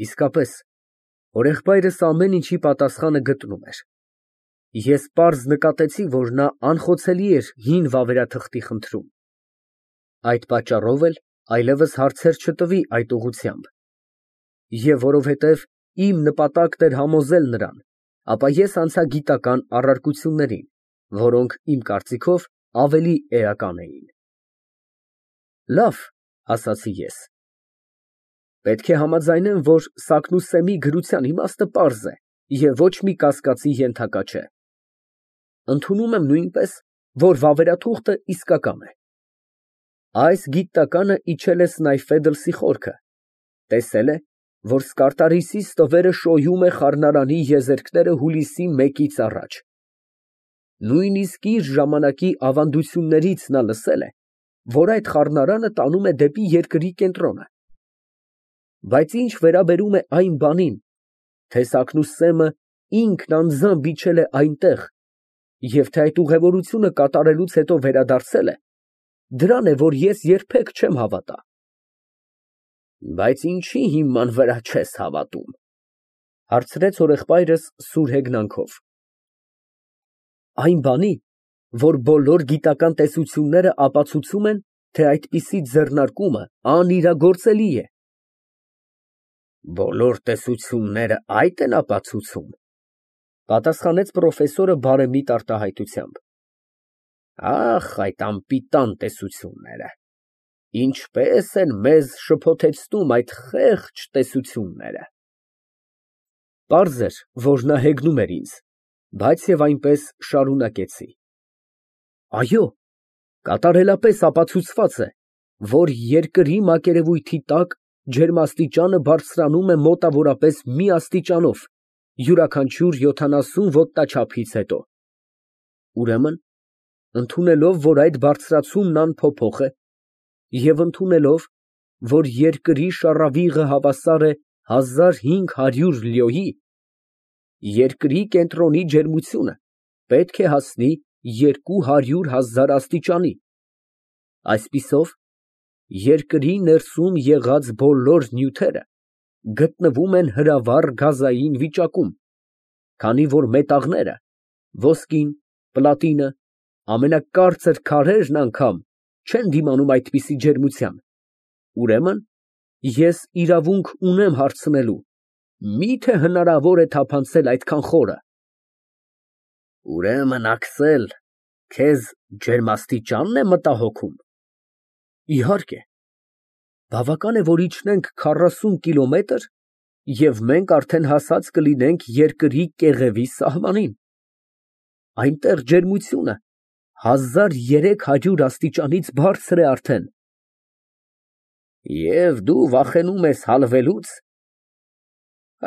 Իսկապես, հորեղբայրս ամեն ինչի պատասխանը գտնում էր։ Ես պարզ նկատեցի, որ նա անխոցելի էր հին վավերաթղթի խնդրում։ Այդ պատճառով էլ այլևս հարցեր չտվի այդ ուղղությամբ։ Եվ որովհետև իմ նպատակն էր համոզել նրան, ապա ես անցա գիտական առարկություններին, որոնք, իմ կարծիքով, ավելի էական էին։ Լավ, ասացի ես, պետք է համաձայնեմ, որ Սակնուսսեմի գրության իմաստը պարզ է և ոչ մի կասկածի ենթակա չէ։ Ընդունում եմ նույնպես, որ վավերաթուղթը իսկական է։ Այս գիտականը իջել է Սնայֆեդլսի խորքը, տեսել է, որ Սկարտարիսի ստվերը շոյում է խառնարանի եզերքները հուլիսի 1-ից առաջ։ Նույնիսկ իր ժամանակի ավանդություններից նա լսել է, որ այդ խառնարանը տանում է դեպի երկրի կենտրոնը։ Բայց ինչ վերաբերում է այն բանին, թե Սակնուսսեմը ինքն անձամբ իջել է այնտեղ, և թե այդ ուղևորությունը կատարելուց հետո վերադարձել է, դրան է, որ ես երբեք չեմ հավատա։ Բայց ինչի հիման վրա չես հավատում, հարցրեց հորեղբայրս սուր հեգնանքով։ Այն բանի, որ բոլոր գիտական տեսությունները ապացուցում են, թե այդպիսի ձեռնարկումը անիրագործելի է։ Բոլոր տեսությունները այդ են ապացուցում, պատասխանեց պրոֆեսորը բարեմիտ արտահայտությամբ։ Ախ, այդ անպիտան տեսությունները, ինչպես են մեզ շփոթեցնում այդ խեղճ տեսությունները։ Պարզ էր, որ նա հեգնում էր ինձ, բայց և այնպես շարունակեցի. Այո, կատարելապես ապացուցված է, որ երկրի մակերևույթի տակ ջերմաստիճանը բարձրանում է մոտավորապես մի աստիճանով յուրաքանչյուր 70 ոտնաչափից հետո։ Ուրեմն, ընդունելով, որ այդ բարձրացումն անփոփոխ է, և ընդունելով, որ երկրի շառավիղը հավասար է 1500 լյոյի, երկրի կենտրոնի ջերմությունը պետք է հասնի 200,000 աստիճանի։ Այսպիսով, երկրի ներսում եղած բոլոր նյութերը գտնվում են հրավառ գազային վիճակում, քանի որ մետաղները, ոսկին, պլատինը, ամենակարծր քարերն անգամ չեն դիմանում այդպիսի ջերմության, ուրեմն ես իրավունք ունեմ հարցնելու. մի՞թե հնարավոր է թափանցել այդքան խորը։ Ուրեմն, Աքսել, քեզ ջերմաստիճա՞նն է մտահոգում։ Իհարկե, բավական է, որ իջնենք 40 կիլոմետր, և մենք արդեն հասած կլինենք երկրի կեղևի սահմանին։ Այնտեղ ջերմությունը 1300 աստիճանից բարձր է արդեն։ Եվ դու վախենում ես հալվելուց։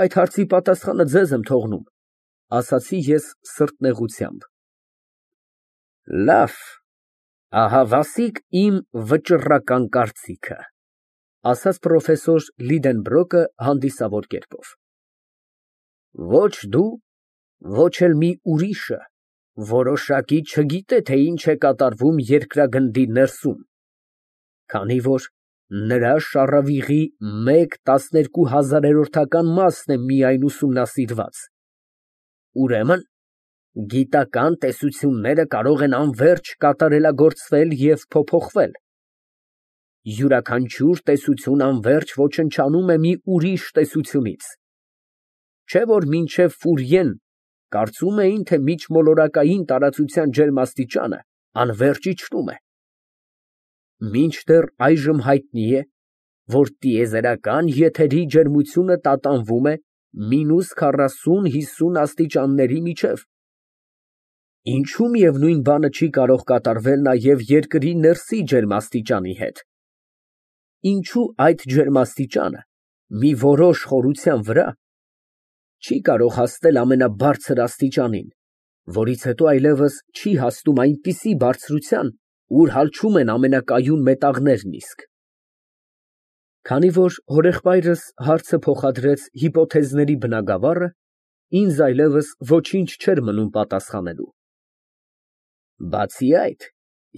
Այդ հարցի պատասխանը ձեզ եմ թողնում, ասացի ես սրտնեղությամբ։ Լավ, ահա վասիկ իմ վճռական կարծիքը, ասաց պրոֆեսոր Լիդենբրոկը հանդիսավոր կերպով։ Ոչ դու, ոչ էլ մի ուրիշը որոշակի չգիտե, թե ինչ է կատարվում երկրագնդի ներսում, քանի որ նրա շառավիղի 1/12,000-ական մասն է միայն ուսումնասիրված։ Ուրեմն, գիտական տեսությունները կարող են անվերջ կատարելագործվել և փոփոխվել։ Յուրաքանչյուր տեսություն անվերջ ոչնչանում է մի ուրիշ տեսությունից։ Չէ՞ որ մինչև Ֆուրիեն կարծում էին, թե միջմոլորակային տարածության ջերմաստիճանը անվերջ իջնում է։ Մինչդեռ այժմ հայտնի է, որ տիեզերական եթերի ջերմությունը տատանվում է -40-50 աստիճանների միջև։ Ինչու միևնույն բանը չի կարող կատարվել նաև երկրի ներսի ջերմաստիճանի հետ։ Ինչու այդ ջերմաստիճանը մի որոշ խորության վրա չի կարող հասնել ամենաբարձր աստիճանին, որից հետո այլևս չի հասնում այնպիսի բարձրության, ուր հալչում են ամենակայուն մետաղներն իսկ։ Քանի որ հորեղբայրս հարցը փոխադրեց հիպոթեզների բնագավառը, ինձ այլևս ոչինչ չէր մնում պատասխանելու։ Բացի այդ,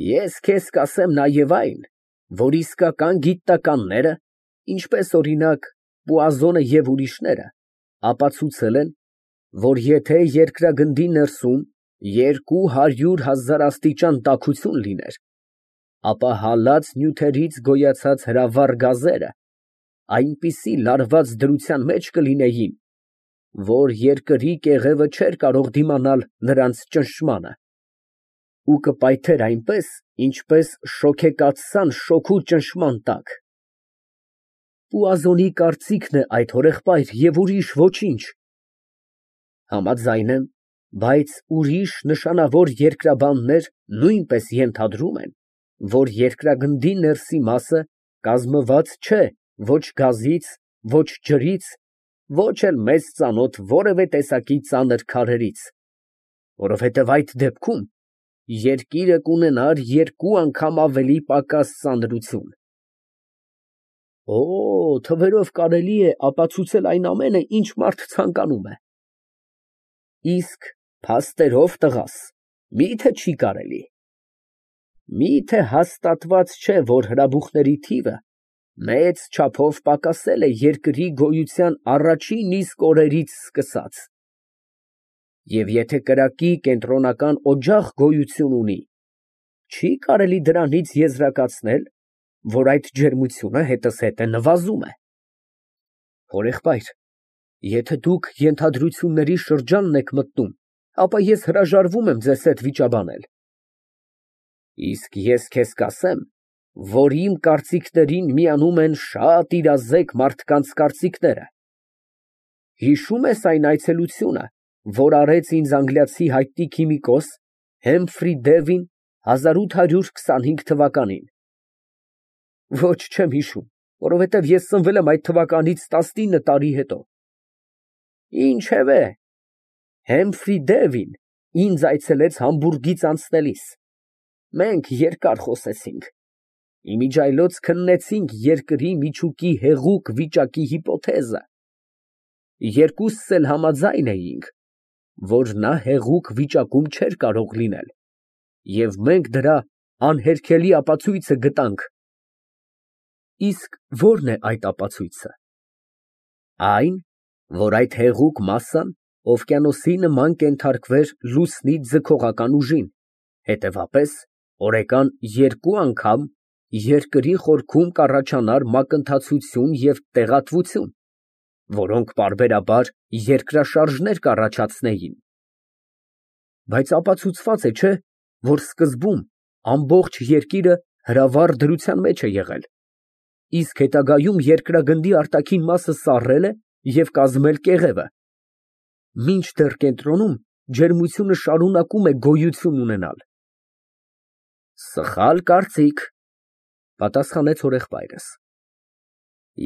ես քեզ կասեմ նաև այն, որ իսկական գիտնականները, ինչպես օրինակ Պուազոնը և ուրիշները ապացուցել են, որ եթե երկրագնդի ներսում 200,000 աստիճան տաքություն լիներ, ապա հալած նյութերից գոյացած հրավառ գազերը այնպիսի լարված դրության մեջ կլինեին, որ երկրի կեղևը չէր կարող դիմանալ նրանց ճնշմանը, ու կպայթեր այնպես, ինչպես շոգեկաթսան շոգու ճնշման տակ։ Պուազոնի կարծիքն է այդ, հորեղբայր, և ուրիշ ոչինչ։ Համաձայն եմ, բայց ուրիշ նշանավոր երկրաբաններ նույնպես ենթադրում են, որ երկրագնդի ներսի մասը կազմված չէ ոչ գազից, ոչ ջրից, ոչ էլ մեզ ծանոթ որևէ տեսակի ծանր քարերից, որովհետև այդ դեպքում երկիրը կունենար 2 անգամ ավելի պակաս ծանրություն։ Թվերով կարելի է ապացուցել այն ամենը, ինչ մարդ ցանկանում է։ Իսկ փաստերով, տղաս, մի՞թե չի կարելի։ Մի՞թե հաստատված չէ, որ հրաբուխների թիվը մեծ չափով պակասել է երկրի գոյության առաջին իսկ օրերից սկսած։ Եվ եթե կրակի կենտրոնական օջախ գոյություն ունի, չի կարելի դրանից եզրակացնել, որ այդ ջերմությունը հետզհետե նվազում է։ Հորեղբայր, եթե դուք ենթադրությունների շրջանն եք մտնում, ապա ես հրաժարվում եմ ձեզ հետ վիճաբանել։ Իսկ ես քեզ կասեմ, որ իմ կարծիքներին միանում են շատ իրազեկ մարդկանց կարծիքները։ Հիշո՞ւմ ես այն այցելությունը, որ արեց ինձ անգլիացի հայտնի քիմիկոս Հեմֆրի Դևին 1825 թվականին։ Ոչ, չեմ հիշում, որովհետև ես ծնվել եմ այդ թվականից 19 տարի հետո։ Ինչևէ, Հեմֆրի Դևին ինձ այցելեց Համբուրգից անցնելիս։ Մենք երկար խոսեցինք, իմիջիայլոց քննեցինք երկրի միջուկի հեղուկ վիճակի հիպոթեզը։ Երկուսս էլ համաձայն էինք, որ նա հեղուկ վիճակում չէր կարող լինել, և մենք դրա անհերքելի ապացույցը գտանք։ Իսկ ո՞րն է այդ ապացույցը։ Այն, որ այդ հեղուկ մասսան օվկիանոսի նման կենթարկվեր լուսնի ձգողական ուժին, հետևապես, օրեկան 2 անգամ երկրի խորքում կառաջանար մակընթացություն և տեղատվություն, որոնք պարբերաբար երկրաշարժներ կառաջացնեին։ Բայց ապացուցված է, չէ՞, որ սկզբում ամբողջ երկիրը հրավառ դրության մեջ է եղել, իսկ հետագայում երկրագնդի արտաքին մասը սառել է և կազմել կեղևը, մինչդեռ կենտրոնում ջերմությունը շարունակում է գոյություն ունենալ։ Սխալ կարծիք, պատասխանեց հորեղբայրս։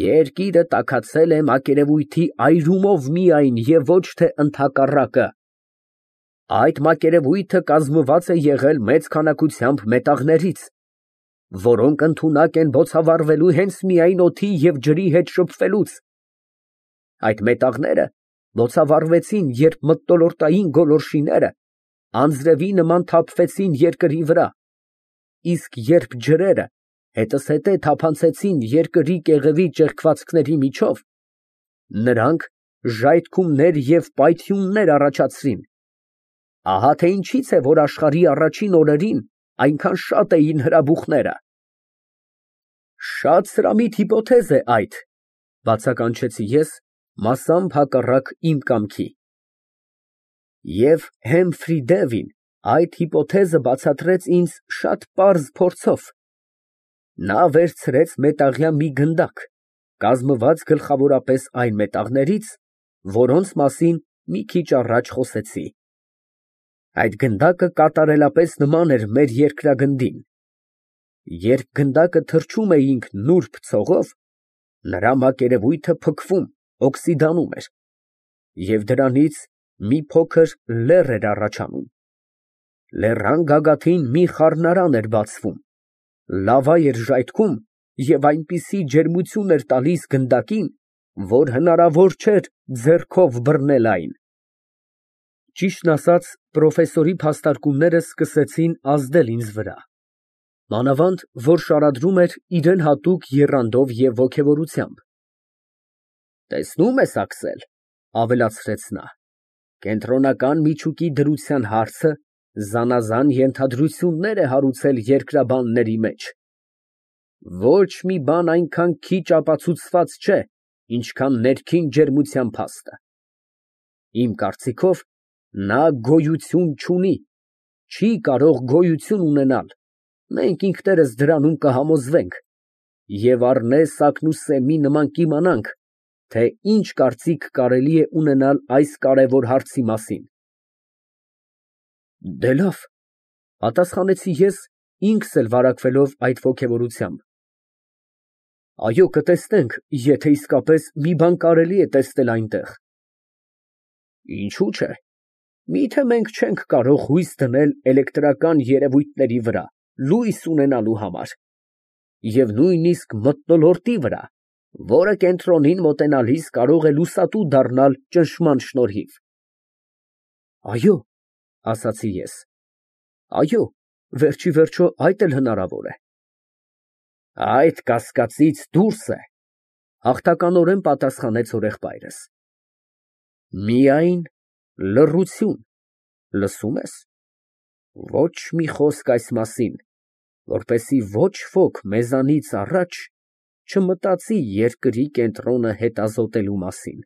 Երկիրը տաքացել է մակերևույթի այրումով միայն և ոչ թե ընդհակառակը։ Այդ մակերևույթը կազմված է եղել մեծ քանակությամբ մետաղներից, որոնք ընդունակ են բոցավառվելու հենց միայն օդի և ջրի հետ շփվելուց։ Այդ մետաղները բոցավառվեցին, երբ մթնոլորտային գոլորշիները անձրևի նման թափվեցին երկրի վրա, իսկ երբ ջրերը հետզհետե թափանցեցին երկրի կեղևի ճեղքվածքների միջով, նրանք ժայթքումներ և պայթյուններ առաջացրին։ Ահա թե ինչից է, որ աշխարհի առաջին օրերին այնքան շատ էին հրաբուխները։ Շատ սրամիտ հիպոթեզ է այդ, բացականչեցի ես, մասամբ հակառակ իմ կամքի։ Եվ Հեմֆրի Դևին այդ հիպոթեզը բացատրեց ինձ շատ պարզ փորձով։ Նա վերցրեց մետաղյա մի գնդակ, կազմված գլխավորապես այն մետաղներից, որոնց մասին մի քիչ առաջ խոսեցի։ Այդ գնդակը կատարելապես նման էր մեր երկրագնդին։ Երբ գնդակը թռչում էինք նուրբ ցողով, նրա մակերևույթը փքվում, օքսիդանում էր, և դրանից մի փոքր լեռ էր առաջանում։ Լեռան գագաթին մի խառնարան էր բացվում, լավա էր ժայթքում և այնպիսի ջերմություն էր տալիս գնդակին, որ հնարավոր չէր ձեռքով բռնել այն։ Ճիշտն ասած, պրոֆեսորի փաստարկումները սկսեցին ազդել ինձ վրա, մանավանդ որ շարադրում էր իրան հատուկ եռանդով և ոգևորությամբ։ Տեսնում ես, Աքսել, ավելացրեց նա, կենտրոնական միջուկի դրության հարցը զանազան ենթադրություններ է հարուցել երկրաբանների մեջ։ Ոչ մի բան այնքան քիչ ապացուցված չէ, ինչքան ներքին ջերմության փաստը։ Իմ կարծիքով, նա գոյություն չունի, չի կարող գոյություն ունենալ, մենք ինքներս դրանում կհամոզվենք, և առնե Սամի նման կիմանանք, թե ինչ կարծիք կարելի է ունենալ այս կարևոր հարցի մասին։ Դե լավ, պատասխանեցի ես, ինքս էլ վարակվելով այդ ոգևորությամբ։ Այո, կտեսնենք, եթե իսկապես մի բան կարելի է տեսնել այնտեղ։ Ինչու՞ չէ, միթե մենք չենք կարող հույս դնել էլեկտրական երևույթների վրա լույս ունենալու համար, և նույնիսկ մթնոլորտի վրա, որը կենտրոնին մոտենալիս կարող է լուսատու դառնալ ճնշման շնորհիվ։ Այո, ասացի ես, այո, վերջիվերջո այդ էլ հնարավոր է։ Այդ կասկածից դուրս է, հաղթականորեն պատասխանեց հորեղբայրս։ Միայն լռություն, լսո՞ւմ ես, ոչ մի խոսք այս մասին, որպեսզի ոչ ոք մեզանից առաջ չմտածի երկրի կենտրոնը հետազոտելու մասին։